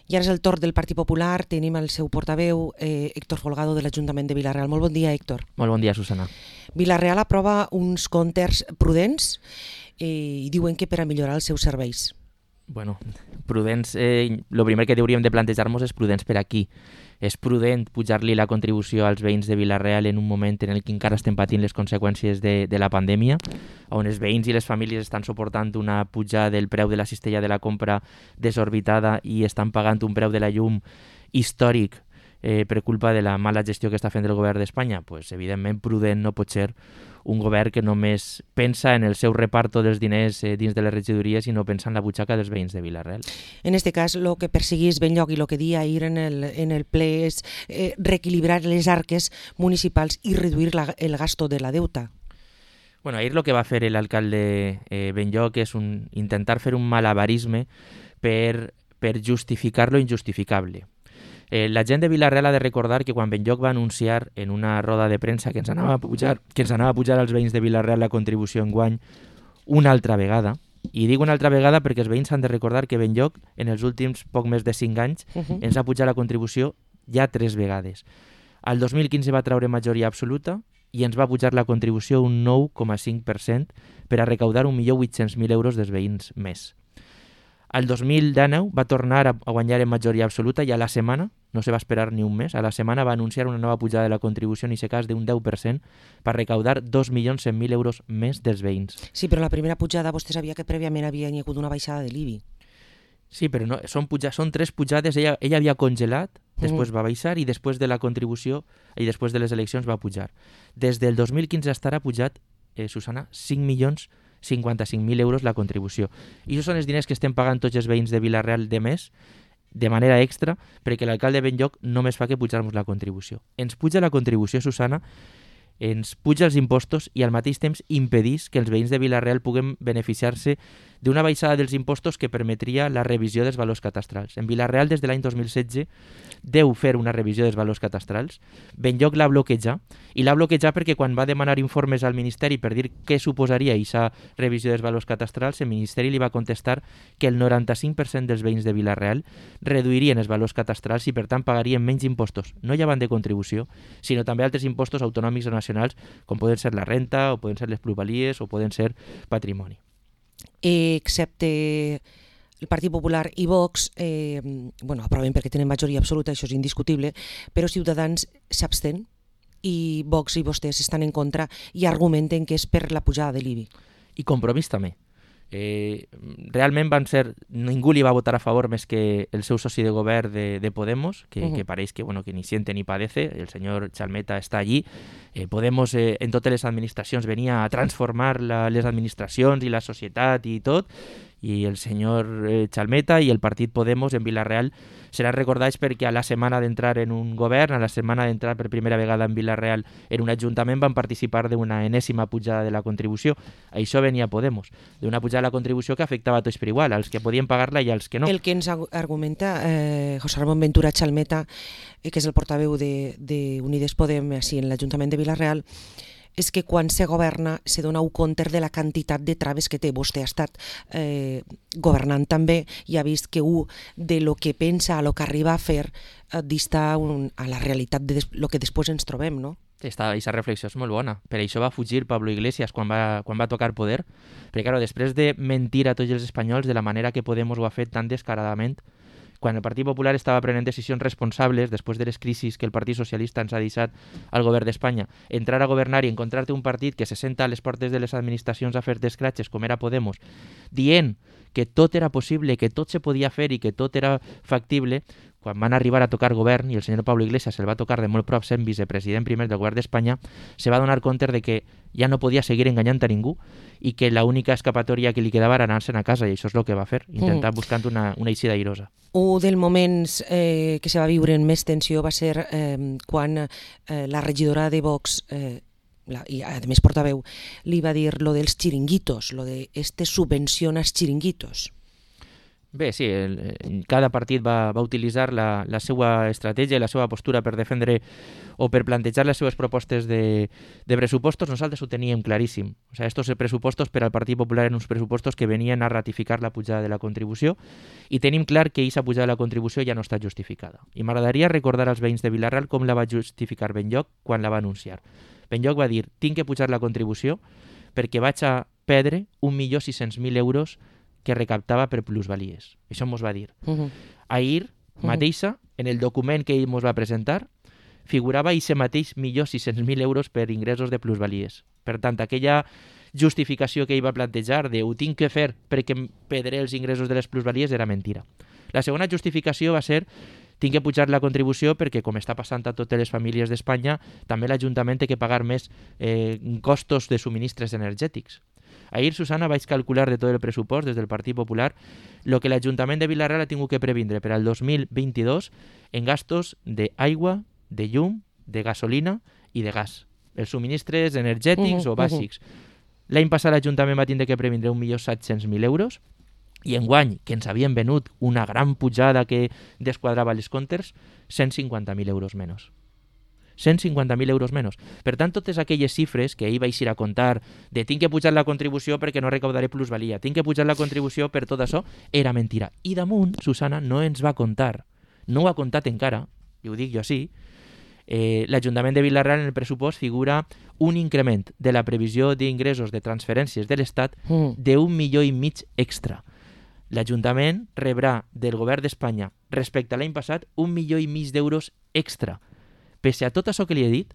I ara és el torn del Partit Popular. Tenim el seu portaveu, Héctor Folgado, de l'Ajuntament de Vila-real. Molt bon dia, Héctor. Molt bon dia, Susana. Vila-real aprova uns comptes prudents i diuen que per a millorar els seus serveis. Bueno, prudents, el primer que hauríem de plantejar-nos és prudents per aquí. És prudent pujar-li la contribució als veïns de Vila-real en un moment en el que encara estem patint les conseqüències de la pandèmia, on els veïns i les famílies estan suportant una pujada del preu de la cistella de la compra desorbitada i estan pagant un preu de la llum històric per culpa de la mala gestió que està fent el govern d'Espanya. Pues, evidentment, prudent no pot ser un govern que només pensa en el seu reparto dels diners dins de les regidories i no pensa en la butxaca dels veïns de Vila-real. En este cas, el que perseguís Benlloc i el que dia ahir en el ple és reequilibrar les arques municipals i reduir el gasto de la deuta. Bueno, ahir lo que va fer l'alcalde Benlloc és intentar fer un malabarisme per justificar lo injustificable. La gent de Vila-real ha de recordar que quan Benlloc va anunciar en una roda de premsa que ens anava a pujar als veïns de Vila-real la contribució enguany una altra vegada, i dic una altra vegada perquè els veïns han de recordar que Benlloc en els últims poc més de 5 anys ens ha pujat la contribució ja 3 vegades. Al 2015 va treure majoria absoluta i ens va pujar la contribució un 9,5% per a recaudar 1.800.000 euros dels veïns més. Al 2019 va tornar a guanyar en majoria absoluta i a la setmana, no se va esperar ni un mes, a la setmana va anunciar una nova pujada de la contribució, en aquest cas d'un 10%, per recaudar 2.100.000 euros més dels veïns. Sí, però la primera pujada vostè sabia que prèviament havia hagut una baixada de l'IBI. Sí, però no, són 3 pujades, ella havia congelat, després va baixar i després de la contribució i després de les eleccions va pujar. Des del 2015 fins ara ha pujat, Susana, 5.055.000 euros la contribució. I això són els diners que estem pagant tots els veïns de Vila-real de mes, de manera extra, perquè l'alcalde Benlloc només fa que pujar-nos la contribució. Ens puja la contribució, Susana, ens puja els impostos i al mateix temps impedís que els veïns de Vila-real puguen beneficiar-se d'una baixada dels impostos que permetria la revisió dels valors catastrals. En Vila-real, des de l'any 2016, deu fer una revisió dels valors catastrals. Benlloc l'ha bloquejat, i l'ha bloquejat perquè quan va demanar informes al Ministeri per dir què suposaria aquesta revisió dels valors catastrals, el Ministeri li va contestar que el 95% dels veïns de Vila-real reduirien els valors catastrals i, per tant, pagarien menys impostos, no ja van de contribució, sinó també altres impostos autonòmics o nacionals, com poden ser la renta, o poden ser les plusvalies, o poden ser patrimoni. Excepte el Partit Popular i Vox, aproven perquè tenen majoria absoluta, això és indiscutible, però Ciutadans s'abstén i Vox i vostès estan en contra i argumenten que és per la pujada de l'IBI. I Compromís també. Realment ningú li va votar a favor més que el seu soci de govern de Podemos, que pareix que ni siente ni padece, el senyor Chalmeta està allí. Podemos en totes les administracions venia a transformar les administracions i la societat i tot, i el senyor Chalmeta i el partit Podemos en Vila-real seran recordats perquè a la setmana d'entrar en un govern, a la setmana d'entrar per primera vegada en Vila-real en un ajuntament, van participar d'una enèsima pujada de la contribució. Això venia Podemos, d'una pujada de la contribució que afectava a tots per igual, als que podien pagar-la i als que no. El que ens argumenta José Ramón Ventura Chalmeta, que és el portaveu d'Unides Podem així en l'Ajuntament de Vila-real, és que quan se governa se dona un compte de la quantitat de traves que té. Vostè ha estat governant també i ha vist que de lo que pensa a lo que arriba a fer dista a la realitat de lo que després ens trobem, no? Aquesta reflexió és molt bona. Per això va fugir Pablo Iglesias quan va tocar poder. Perquè, clar, després de mentir a tots els espanyols de la manera que Podemos ho ha fet tan descaradament, quan el Partit Popular estava prenent decisions responsables després de les crisis que el Partit Socialista ens ha deixat al govern d'Espanya, entrar a governar i encontrar-te un partit que se senta a les portes de les administracions a fer d'escratxes com era Podemos, dient que tot era possible, que tot se podia fer i que tot era factible, quan van arribar a tocar govern i el senyor Pablo Iglesias se'l va tocar de molt prop sent vicepresident primer del govern d'Espanya, se va donar compte de que ja no podia seguir enganyant a ningú i que l'única escapatòria que li quedava era anar-se'n a casa, i això és el que va fer, intentar buscant una eixida airosa. Un dels moments que se va viure en més tensió va ser quan la regidora de Vox i a més portaveu li va dir lo dels xiringuitos, lo de subvenciona els xiringuitos. Bé, sí, cada partit va utilitzar la seva estratègia i la seva postura per defendre o per plantejar les seves propostes de pressupostos. Nosaltres ho teníem claríssim. O sea, estos pressupostos per al Partit Popular eren uns pressupostos que venien a ratificar la pujada de la contribució i tenim clar que aquesta pujada de la contribució ja no està justificada. I m'agradaria recordar als veïns de Vila-real com la va justificar Benlloch quan la va anunciar. Benlloch va dir, tinc que pujar la contribució perquè vaig a perdre 1.600.000 euros que recaptava per plusvalies. Això mos va dir. Ahir mateixa, en el document que ell mos va presentar, figurava aquest mateix 1.600.000 euros per ingressos de plusvalies. Per tant, aquella justificació que ell va plantejar de ho tinc que fer perquè perdré els ingressos de les plusvalies era mentira. La segona justificació va ser tinc que pujar la contribució perquè, com està passant a totes les famílies d'Espanya, també l'Ajuntament té que pagar més costos de subministres energètics. Ahir, Susana, vaig calcular de tot el pressupost des del Partit Popular el que l'Ajuntament de Vila-real ha tingut que previndre per al 2022 en gastos d'aigua, de llum, de gasolina i de gas. Els subministres energètics o bàsics. L'any passat l'Ajuntament va tindre que previndre 1.700.000 euros i enguany, que ens havien venut una gran pujada que desquadrava els comptes, 150.000 euros menys. 150.000 euros menys. Per tant, totes aquelles xifres que ell va eixir a contar de tinc que pujar la contribució perquè no recaudaré plusvalia, tinc que pujar la contribució per tot això, era mentira. I damunt, Susana no ens va contar, no ho ha contat encara, i ho dic jo així, l'Ajuntament de Vila-real en el pressupost figura un increment de la previsió d'ingressos de transferències de l'Estat d'1,5 milió extra. L'Ajuntament rebrà del govern d'Espanya respecte a l'any passat 1,5 milió d'euros extra. Pese a tot això que li he dit,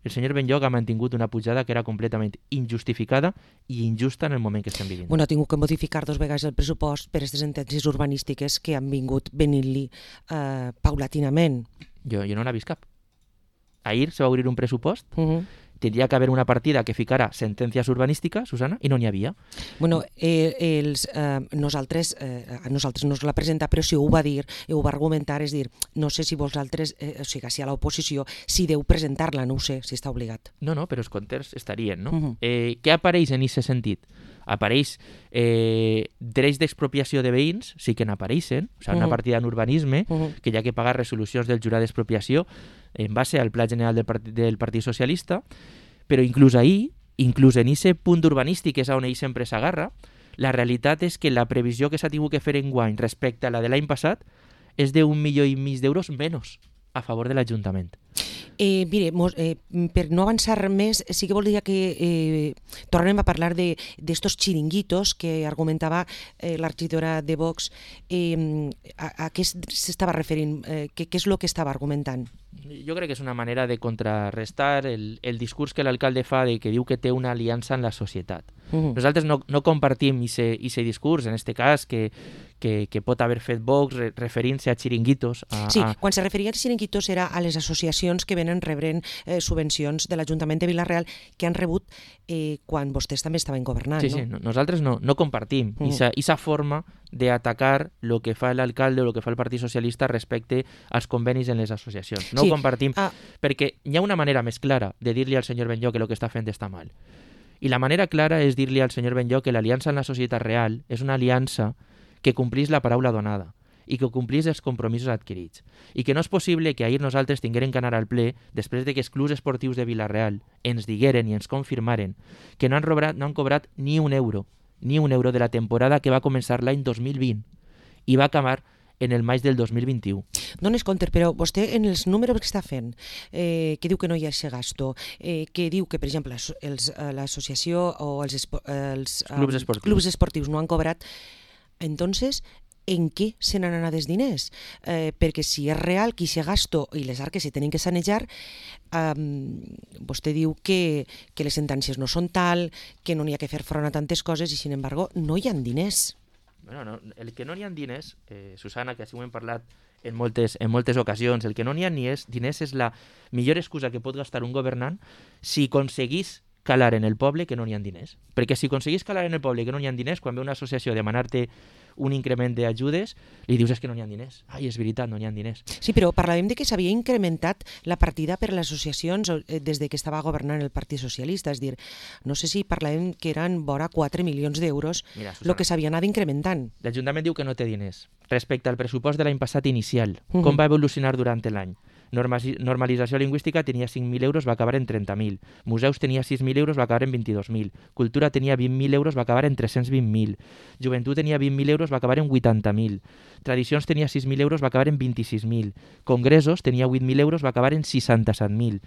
el senyor Benlloch ha mantingut una pujada que era completament injustificada i injusta en el moment que estem vivint. Bueno, ha tingut que modificar 2 vegades el pressupost per aquestes sentències urbanístiques que han vingut venint-li paulatinament. Jo no n'ha vist cap. Ahir se va obrir un pressupost, tindria que haver una partida que ficara sentències urbanístiques, Susana, i no n'hi havia. Bueno, nosaltres no es la presenta, però si ho va dir, ho va argumentar, és dir, no sé si vosaltres, o sigui, si a l'oposició, si deu presentar-la, no ho sé, si està obligat. No, però els comptes estarien, no? Què apareix en aquest sentit? Apareix drets d'expropiació de veïns, sí que n'apareixen, o sigui, una partida en urbanisme, que hi ha que pagar resolucions del jurat d'expropiació en base al Pla General del Partit Socialista, però inclús ahir, inclús en aquest punt urbanístic, que és on ell sempre s'agarra, la realitat és que la previsió que s'ha tingut que fer enguany respecte a la de l'any passat és d'1,5 milió d'euros menys a favor de l'Ajuntament. Mire, per no avançar més, sí que voldria que tornem a parlar d'estos xiringuitos que argumentava la regidora de Vox. A què s'estava referint? Què és el que estava argumentant? Jo crec que és una manera de contrarrestar el discurs que l'alcalde fa de que diu que té una aliança en la societat. Nosaltres no compartim aquest discurs, en aquest cas, que pot haver fet Vox referint-se a xiringuitos. Sí, quan se referia als xiringuitos era a les associacions que venen rebrent subvencions de l'Ajuntament de Vila-real que han rebut quan vostès també estaven governant. Sí, nosaltres no compartim aquesta forma d'atacar el que fa l'alcalde o el que fa el Partit Socialista respecte als convenis en les associacions. No ho compartim, perquè hi ha una manera més clara de dir-li al senyor Benlloch que el que està fent està mal. I la manera clara és dir-li al senyor Benlloch que l'aliança en la societat real és una aliança que complís la paraula donada i que complís els compromisos adquirits. I que no és possible que ahir nosaltres tinguérem que anar al ple després de que els clubs esportius de Vila-real ens digueren i ens confirmaren que no han cobrat ni un euro de la temporada que va començar l'any 2020 i va acabar en el maig del 2021. Dones compte, però vostè en els números que està fent, que diu que no hi ha aquest gasto, que diu que, per exemple, l'associació o els clubs esportius no han cobrat, entonces, en què se n'han anat els diners? Perquè si és real que aquest gasto i les arques se tenen que sanejar, vostè diu que les sentències no són tal, que no n'hi ha que fer front a tantes coses i, sin embargo, no hi ha diners. Bueno, el que no n'hi ha diners, Susana, que així ho hem parlat en moltes ocasions, el que no n'hi ha diners és la millor excusa que pot gastar un governant si aconseguís calar en el poble que no n'hi ha diners. Perquè si aconseguís calar en el poble que no n'hi ha diners, quan ve una associació a demanar-te un increment d'ajudes, li dius que no n'hi ha diners. Ai, és veritat, no n'hi ha diners. Sí, però parlàvem de que s'havia incrementat la partida per a les associacions des de que estava governant el Partit Socialista. És dir, no sé si parlàvem que eren vora 4 milions d'euros el que s'havia anat incrementant. L'Ajuntament diu que no té diners. Respecte al pressupost de l'any passat inicial, com va evolucionar durant l'any? Normalització lingüística tenia 5.000 euros, va acabar en 30.000. Museus tenia 6.000 euros, va acabar en 22.000. Cultura tenia 20.000 euros, va acabar en 320.000. Joventut tenia 20.000 euros, va acabar en 80.000. Tradicions tenia 6.000 euros, va acabar en 26.000. Congressos tenia 8.000 euros, va acabar en 67.000.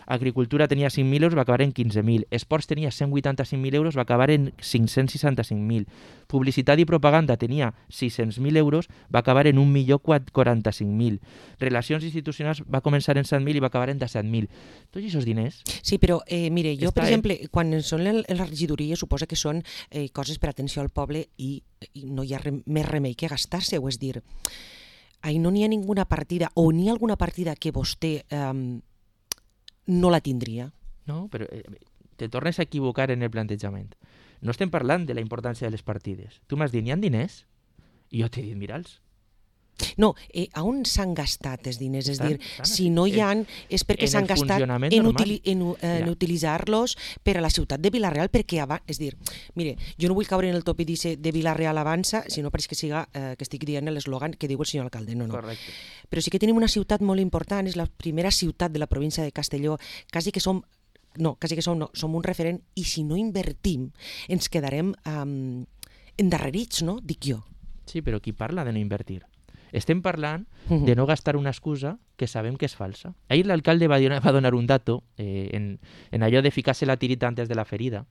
Agricultura tenia 5.000 euros, va acabar en 15.000. Esports tenia 185.000 euros, va acabar en 565.000. Publicitat i propaganda tenia 600.000 euros, va acabar en 1.045.000. Relacions institucionals va començar en 7.000 i va acabar en 17.000. Tots aquests diners... Sí, però mire, jo, per exemple, quan són en la regidoria, suposa que són coses per atenció al poble i no hi ha més remei que gastar-se-ho. És dir, no n'hi ha ninguna partida, o n'hi ha alguna partida que vostè no la tindria. No, però te tornes a equivocar en el plantejament. No estem parlant de la importància de les partides. Tu m'has dit, n'hi ha diners? I jo t'he dit, mira'ls. No, on s'han gastat els diners? És dir, si no hi ha, és perquè s'han gastat en utilitzar-los per a la ciutat de Vila-real, perquè és dir, mire, jo no vull caure en el tòpic de Vila-real avança, sinó perquè que estic dient l'eslògan que diu el senyor alcalde. No. Correcte. Però sí que tenim una ciutat molt important, és la primera ciutat de la província de Castelló, quasi que som un referent, i si no invertim ens quedarem endarrerits, no? Dic jo. Sí, però qui parla de no invertir? Estem parlant de no gastar una excusa que sabem que és falsa. Ahir l'alcalde va donar un dato en allò de ficar-se la tirita antes de la ferida.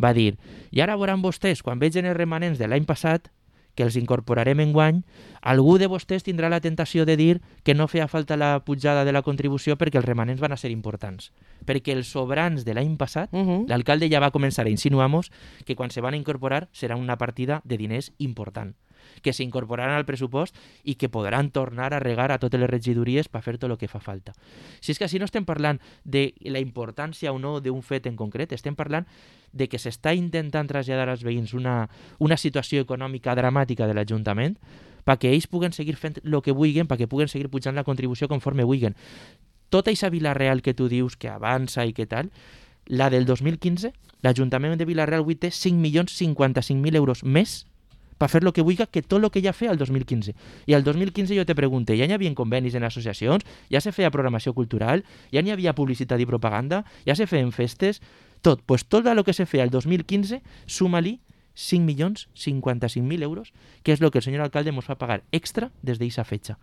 Va dir, i ara veuran vostès, quan vegin els remanents de l'any passat, que els incorporarem enguany, algú de vostès tindrà la tentació de dir que no feia falta la pujada de la contribució perquè els remanents van a ser importants. Perquè els sobrants de l'any passat, l'alcalde ja va començar a insinuar-nos que quan se van incorporar serà una partida de diners important, que s'incorporaran al pressupost i que podran tornar a regar a totes les regidories per fer tot el que fa falta. Si és que així no estem parlant de la importància o no d'un fet en concret, estem parlant de que s'està intentant traslladar als veïns una situació econòmica dramàtica de l'Ajuntament perquè ells puguen seguir fent el que vulguin, perquè puguen seguir pujant la contribució conforme vulguin. Tota aquesta Vila-real que tu dius que avança i que tal, la del 2015, l'Ajuntament de Vila-real avui té 5.055.000 euros més per fer el que vulgui que tot el que ja feia el 2015. I al 2015 jo te pregunté, ja n'hi havia convenis en associacions, ja se feia programació cultural, ja n'hi havia publicitat i propaganda, ja se feien festes, tot. Pues tot el que se feia el 2015, suma-li 5.055.000 euros, que és el que el senyor alcalde ens fa pagar extra des d'aquesta fetge.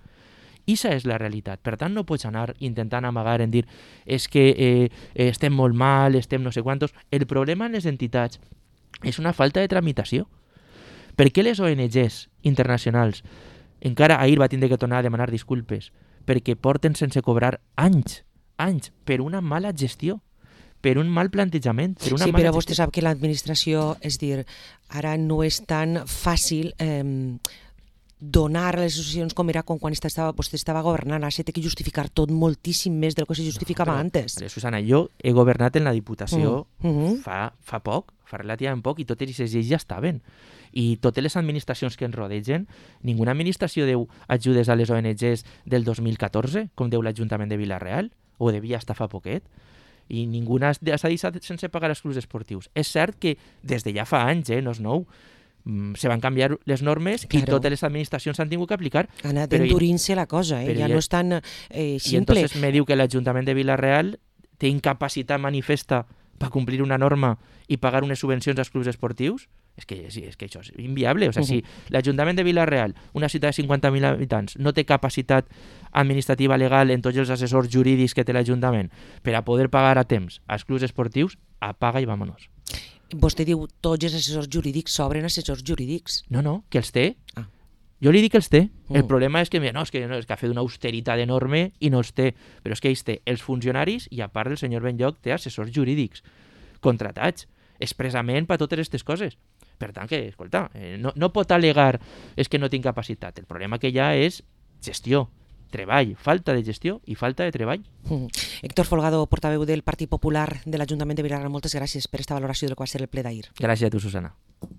Issa és la realitat. Per tant, no pots anar intentant amagar en dir és que estem molt mal, estem no sé quantos. El problema en les entitats és una falta de tramitació. Per què les ONGs internacionals encara ahir va tindre que tornar a demanar disculpes? Perquè porten sense cobrar anys, per una mala gestió, per un mal plantejament. Per una sí, mala però gestió. Vostè sap que l'administració, és dir, ara no és tan fàcil donar a les associacions com era quan vostè estava governant. Ara s'ha de justificar tot moltíssim més del que se justificava antes. Susana, jo he governat en la Diputació fa poc, fa relativament poc, i totes aquestes lleis ja estaven. I totes les administracions que ens rodegen, ninguna administració deu ajudes a les ONGs del 2014, com deu l'Ajuntament de Vila-real, o devia estar fa poquet, i ninguna s'ha deixat sense pagar els clubs esportius. És cert que des de ja fa anys, no és nou, se van canviar les normes i totes les administracions s'han tingut que aplicar. Ha anat endurint-se la cosa, ja no és tan simple. I entonces me diu que l'Ajuntament de Vila-real té incapacitat manifesta per complir una norma i pagar unes subvencions als clubs esportius. És que això és inviable. O sigui, si l'Ajuntament de Vila-real, una ciutat de 50.000 habitants, no té capacitat administrativa legal en tots els assessors jurídics que té l'Ajuntament per a poder pagar a temps als clubs esportius, apaga i vámonos. Vostè diu tots els assessors jurídics sobren assessors jurídics. No, que els té. Jo li dic que els té. El problema és que és que ha fet una austeritat enorme i no els té. Però és que ells té els funcionaris i a part el senyor Benlloc té assessors jurídics contratats expressament per totes aquestes coses. Per tant, que, escolta, no pot al·legar és que no tinc capacitat. El problema que hi ha és gestió. treball, falta de gestió i falta de treball. Héctor Folgado, portaveu del Partit Popular de l'Ajuntament de Vilareal, moltes gràcies per aquesta valoració del que va ser el ple d'ahir. Gràcies a tu, Susana.